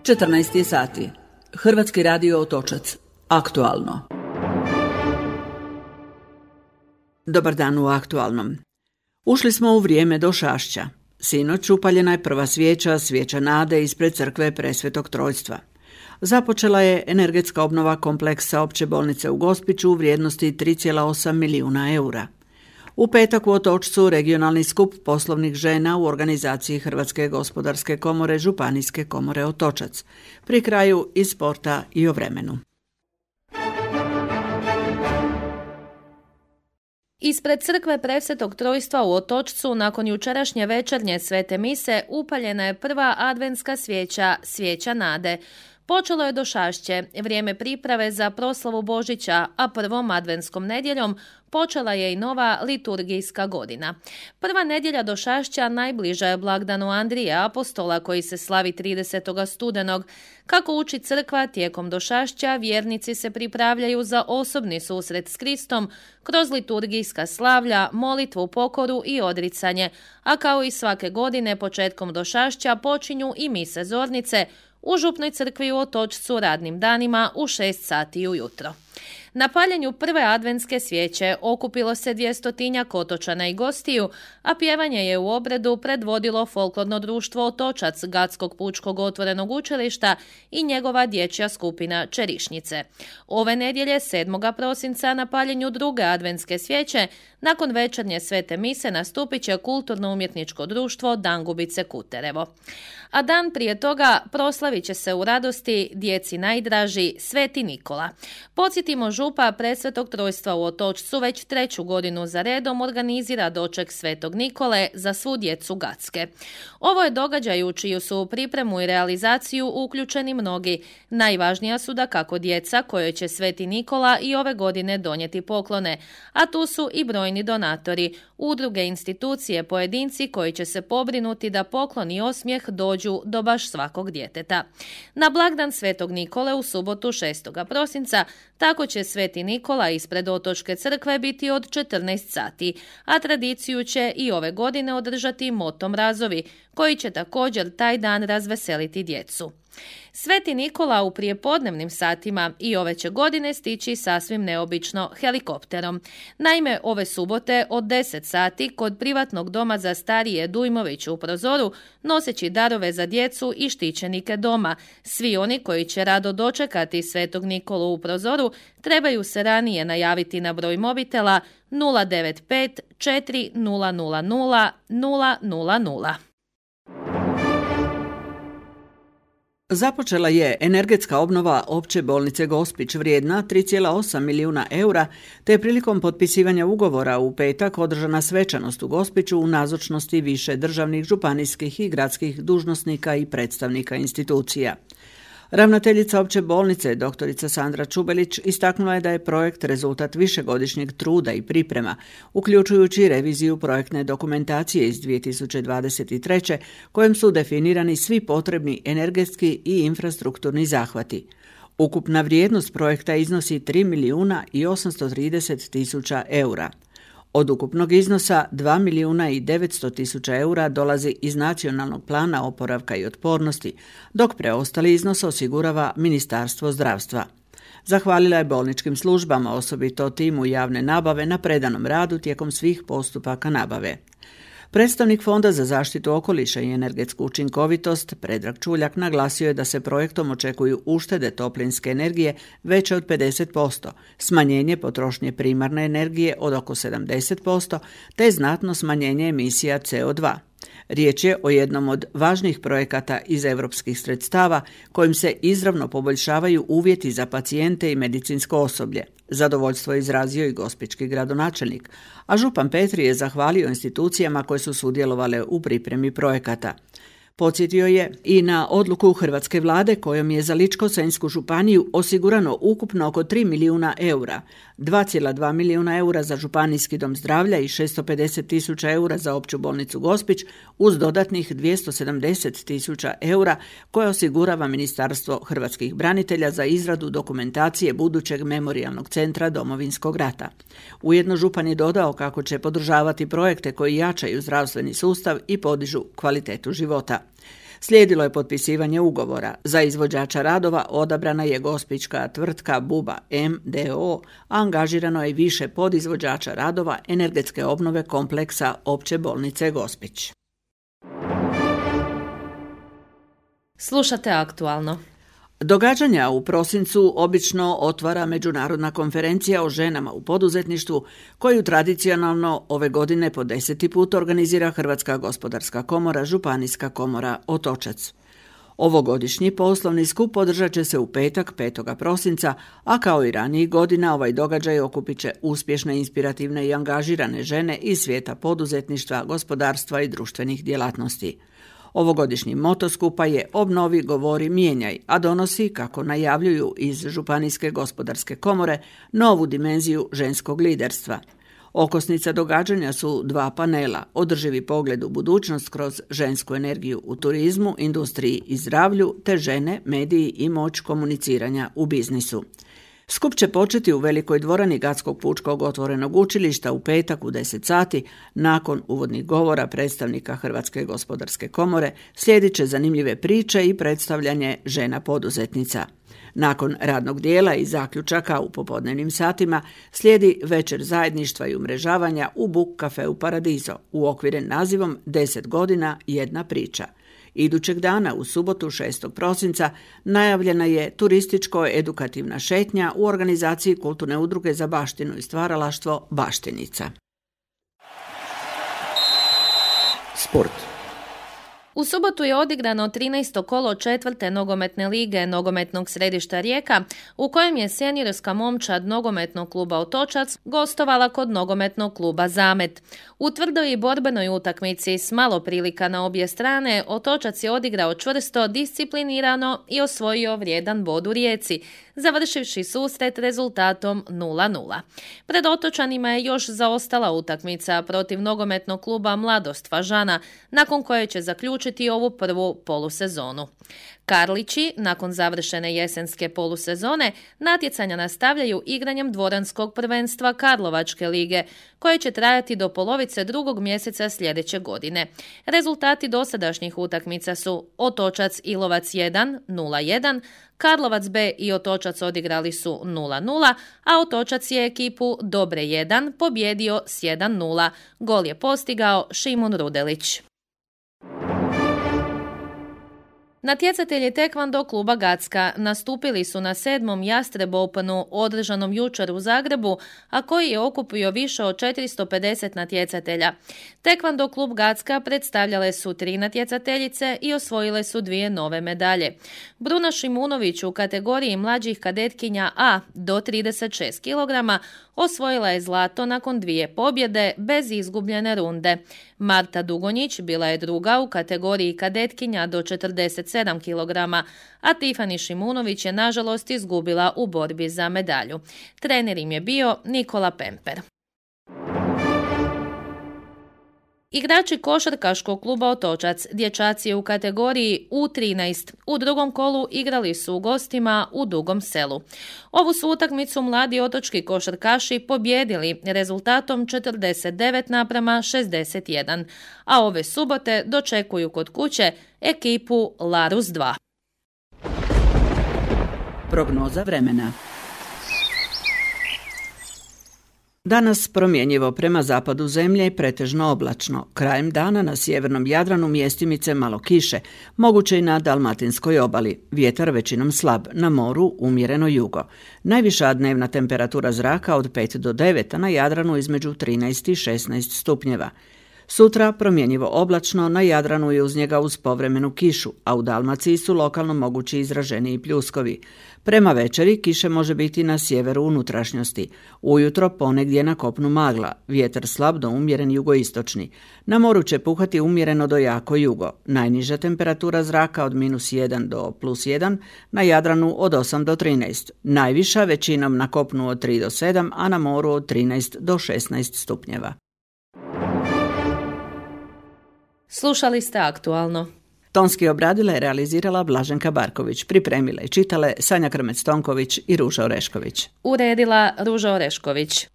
14 sati. Hrvatski radio Otočac. Aktualno. Dobar dan u Aktualnom. Ušli smo u vrijeme došašća. Sinoć upaljena je prva svijeća, svijeća nade ispred crkve Presvetog Trojstva. Započela je energetska obnova kompleksa opće bolnice u Gospiću u vrijednosti 3,8 milijuna eura. U petak u Otočcu regionalni skup poslovnih žena u organizaciji Hrvatske gospodarske komore Županijske komore Otočac. Pri kraju iz sporta i o vremenu. Ispred crkve Presvetog Trojstva u Otočcu nakon jučerašnje večernje svete mise upaljena je prva adventska svijeća, svijeća nade. Počelo je došašće, vrijeme priprave za proslavu Božića, a prvom adventskom nedjeljom počela je i nova liturgijska godina. Prva nedjelja došašća najbliža je blagdanu Andrija Apostola koji se slavi 30. studenog. Kako uči crkva, tijekom došašća vjernici se pripravljaju za osobni susret s Kristom kroz liturgijska slavlja, molitvu, pokoru i odricanje, a kao i svake godine početkom došašća počinju i mise zornice u župnoj crkvi u Otočcu radnim danima u 6 sati ujutro. Na paljenju prve adventske svijeće okupilo se 200 otočana i gostiju, a pjevanje je u obredu predvodilo folklorno društvo Otočac Gatskog pučkog otvorenog učilišta i njegova dječja skupina Čerišnice. Ove nedjelje 7. prosinca na paljenju druge adventske svijeće nakon večernje svete mise nastupit će kulturno-umjetničko društvo Dangubice Kuterevo. A dan prije toga proslavit će se u radosti djeci najdraži Sveti Nikola. Podsjetimo, župa Presvetog Trojstva u Otočcu već 3. godinu za redom organizira doček Svetog Nikole za svu djecu Gatske. Ovo je događaj u čiju su u pripremu i realizaciju uključeni mnogi. Najvažnija su dakako djeca kojoj će Sveti Nikola i ove godine donijeti poklone, a tu su i brojni donatori, udruge, institucije, pojedinci koji će se pobrinuti da poklon i osmijeh dođu do baš svakog djeteta. Na blagdan Svetog Nikole u subotu 6. prosinca tako će Sveti Nikola ispred Otočke crkve biti od 14 sati, a tradiciju će i ove godine održati Moto Mrazovi, koji će također taj dan razveseliti djecu. Sveti Nikola u prijepodnevnim satima i ove će godine stići sasvim neobično helikopterom. Naime, ove subote od 10 sati kod privatnog doma za starije Dujmović u Prozoru, noseći darove za djecu i štićenike doma. Svi oni koji će rado dočekati Svetog Nikolu u Prozoru trebaju se ranije najaviti na broj mobitela 095 4000 000. Započela je energetska obnova opće bolnice Gospić vrijedna 3,8 milijuna eura, te je prilikom potpisivanja ugovora u petak održana svečanost u Gospiću u nazočnosti više državnih, županijskih i gradskih dužnosnika i predstavnika institucija. Ravnateljica opće bolnice, doktorica Sandra Čubelić, istaknula je da je projekt rezultat višegodišnjeg truda i priprema, uključujući reviziju projektne dokumentacije iz 2023. kojem su definirani svi potrebni energetski i infrastrukturni zahvati. Ukupna vrijednost projekta iznosi 3 milijuna i 830 tisuća eura. Od ukupnog iznosa 2 milijuna i 900 tisuća eura dolazi iz Nacionalnog plana oporavka i otpornosti, dok preostali iznos osigurava Ministarstvo zdravstva. Zahvalila je bolničkim službama, osobito timu javne nabave, na predanom radu tijekom svih postupaka nabave. Predstavnik Fonda za zaštitu okoliša i energetsku učinkovitost, Predrag Čuljak, naglasio je da se projektom očekuju uštede toplinske energije veće od 50%, smanjenje potrošnje primarne energije od oko 70%, te znatno smanjenje emisija CO2. Riječ je o jednom od važnih projekata iz europskih sredstava kojim se izravno poboljšavaju uvjeti za pacijente i medicinsko osoblje. Zadovoljstvo je izrazio i gospićki gradonačelnik, a župan Petri je zahvalio institucijama koje su sudjelovale u pripremi projekata. Podsjetio je i na odluku hrvatske vlade kojom je za Ličko-senjsku županiju osigurano ukupno oko 3 milijuna eura, 2,2 milijuna eura za županijski dom zdravlja i 650 tisuća eura za opću bolnicu Gospić, uz dodatnih 270 tisuća eura koje osigurava Ministarstvo hrvatskih branitelja za izradu dokumentacije budućeg memorijalnog centra Domovinskog rata. Ujedno župan je dodao kako će podržavati projekte koji jačaju zdravstveni sustav i podižu kvalitetu života. Slijedilo je potpisivanje ugovora. Za izvođača radova odabrana je gospićka tvrtka Buba MDO, a angažirano je više podizvođača radova energetske obnove kompleksa Opće bolnice Gospić. Slušate aktualno. Događanja u prosincu obično otvara Međunarodna konferencija o ženama u poduzetništvu, koju tradicionalno ove godine po 10. put organizira Hrvatska gospodarska komora, Županijska komora Otočac. Ovogodišnji poslovni skup održat će se u petak 5. prosinca, a kao i ranijih godina ovaj događaj okupit će uspješne, inspirativne i angažirane žene iz svijeta poduzetništva, gospodarstva i društvenih djelatnosti. Ovogodišnji moto skupa je Obnovi, govori, mijenjaj, a donosi, kako najavljuju iz Županijske gospodarske komore, novu dimenziju ženskog liderstva. Okosnica događanja su 2 panela, održivi pogled u budućnost kroz žensku energiju u turizmu, industriji i zdravlju, te žene, mediji i moć komuniciranja u biznisu. Skup će početi u velikoj dvorani Gatskog pučkog otvorenog učilišta u petak u 10 sati. Nakon uvodnih govora predstavnika Hrvatske gospodarske komore slijedit će zanimljive priče i predstavljanje žena poduzetnica. Nakon radnog dijela i zaključaka u popodnevnim satima slijedi večer zajedništva i umrežavanja u Buk Cafeu Paradiso, uokviren nazivom 10 godina, jedna priča. Idućeg dana, u subotu 6. prosinca, najavljena je turističko-edukativna šetnja u organizaciji Kulturne udruge za baštinu i stvaralaštvo Baštenica. Sport. U subotu je odigrano 13. kolo 4. nogometne lige nogometnog središta Rijeka, u kojem je seniorska momčad nogometnog kluba Otočac gostovala kod nogometnog kluba Zamet. U tvrdoj i borbenoj utakmici s malo prilika na obje strane, Otočac je odigrao čvrsto, disciplinirano i osvojio vrijedan bod u Rijeci, završivši susret rezultatom 0:0. Pred Otočanima je još zaostala utakmica protiv nogometnog kluba Mladost Fažana, nakon koje će zaključiti ovu prvu polusezonu. Karlići, nakon završene jesenske polusezone, natjecanja nastavljaju igranjem dvoranskog prvenstva Karlovačke lige, koje će trajati do polovice 2. mjeseca sljedeće godine. Rezultati dosadašnjih utakmica su Otočac Ilovac 1, 0:1, Karlovac B i Otočac odigrali su 0:0, a Otočac je ekipu Dobre 1 pobjedio s 1:0. Gol je postigao Šimun Rudelić. Natjecatelji tekvando kluba Gacka nastupili su na 7. Jastreb Openu održanom jučer u Zagrebu, a koji je okupio više od 450 natjecatelja. Tekvando klub Gacka predstavljale su 3 natjecateljice i osvojile su 2 nove medalje. Bruna Šimunović u kategoriji mlađih kadetkinja A do 36 kg osvojila je zlato nakon 2 pobjede bez izgubljene runde. Marta Dugonjić bila je druga u kategoriji kadetkinja do 47 kg, a Tifani Šimunović je nažalost izgubila u borbi za medalju. Trener im je bio Nikola Pemper. Igrači košarkaškog kluba Otočac, dječaci u kategoriji U13, u drugom kolu igrali su u gostima u Dugom Selu. Ovu su utakmicu mladi otočki košarkaši pobjedili rezultatom 49:61, a ove subote dočekuju kod kuće ekipu Larus 2. Prognoza vremena. Danas promjenjivo prema zapadu zemlje, pretežno oblačno. Krajem dana na sjevernom Jadranu mjestimice malo kiše, moguće i na dalmatinskoj obali. Vjetar većinom slab, na moru umjereno jugo. Najviša dnevna temperatura zraka od 5 do 9, a na Jadranu između 13 i 16 stupnjeva. Sutra promjenjivo oblačno, na Jadranu i uz njega uz povremenu kišu, a u Dalmaciji su lokalno mogući izraženiji pljuskovi. Prema večeri kiše može biti na sjeveru unutrašnjosti. Ujutro ponegdje na kopnu magla, vjetar slab do umjeren jugoistočni. Na moru će puhati umjereno do jako jugo. Najniža temperatura zraka od -1 do +1, na Jadranu od 8 do 13. Najviša većinom na kopnu od 3 do 7, a na moru od 13 do 16 stupnjeva. Slušali ste aktualno. Tonski obradila i realizirala Blaženka Barković, pripremila i čitale Sanja Krmec-Tonković i Ruža Orešković. Uredila Ruža Orešković.